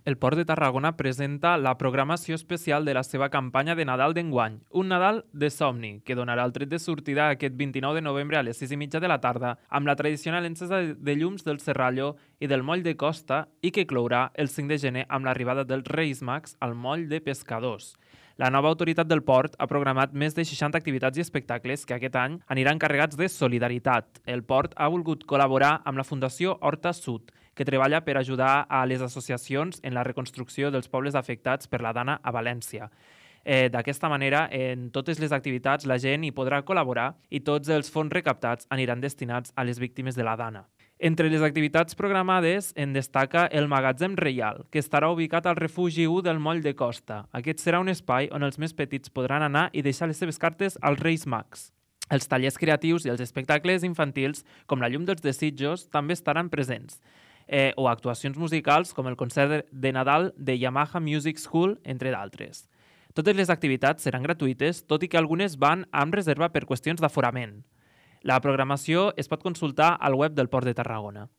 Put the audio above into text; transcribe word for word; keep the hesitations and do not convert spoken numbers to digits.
El Port de Tarragona presenta la programació especial de la seva campanya de Nadal d'enguany, un Nadal de somni, que donarà el tret de sortida aquest vint-i-nou de novembre a les sis i mitja de la tarda amb la tradicional encesa de llums del Serrallo i del Moll de Costa i que clourà el cinc de gener amb l'arribada dels Reis Mags al Moll de Pescadors. La nova autoritat del port ha programat més de seixanta activitats i espectacles que aquest any aniran carregats de solidaritat. El port ha volgut col·laborar amb la Fundació Horta Sud, que treballa per ajudar a les associacions en la reconstrucció dels pobles afectats per la Dana a València. Eh, D'aquesta manera, en totes les activitats la gent hi podrà col·laborar i tots els fons recaptats aniran destinats a les víctimes de la Dana. Entre les activitats programades en destaca el Magatzem Reial, que estarà ubicat al refugi u del Moll de Costa. Aquest serà un espai on els més petits podran anar i deixar les seves cartes als Reis Mags. Els tallers creatius i els espectacles infantils, com la Llum dels Desitjos, també estaran presents. Eh, o actuacions musicals com el concert de Nadal de Yamaha Music School, entre d'altres. Totes les activitats seran gratuïtes, tot i que algunes van amb reserva per qüestions d'aforament. La programació es pot consultar al web del Port de Tarragona.